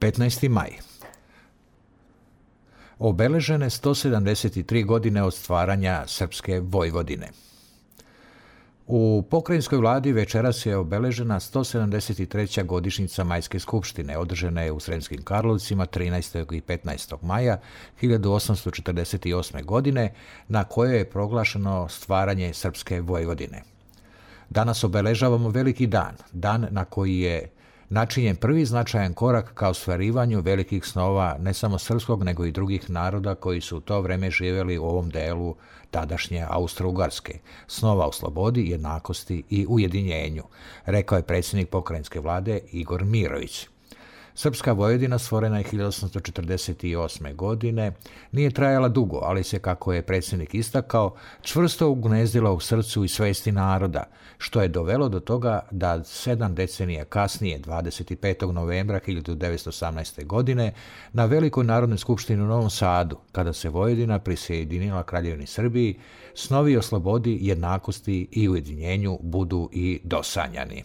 15. maj. Obeležene 173 godine od stvaranja Srpske Vojvodine. U pokrajinskoj vladi večeras je obeležena 173. godišnjica Majske skupštine, održana je u Sremskim Karlovcima 13. i 15. maja 1848. godine, na kojoj je proglašeno stvaranje Srpske Vojvodine. Danas obeležavamo veliki dan, dan na koji je načinjen prvi značajan korak ka ostvarivanju velikih snova ne samo srpskog, nego i drugih naroda koji su u to vreme živjeli u ovom delu tadašnje Austro-Ugarske, snova o slobodi, jednakosti i ujedinjenju, rekao je predsjednik pokrajinske vlade Igor Mirović. Srpska Vojvodina stvorena je 1848. godine, nije trajala dugo, ali se, kako je predsjednik istakao, čvrsto ugnezdila u srcu i svesti naroda, što je dovelo do toga da 7 decenija kasnije, 25. novembra 1918. godine, na Velikoj narodnoj skupštini u Novom Sadu, kada se Vojvodina prisjedinila Kraljevini Srbiji, snovi o slobodi, jednakosti i ujedinjenju budu i dosanjani.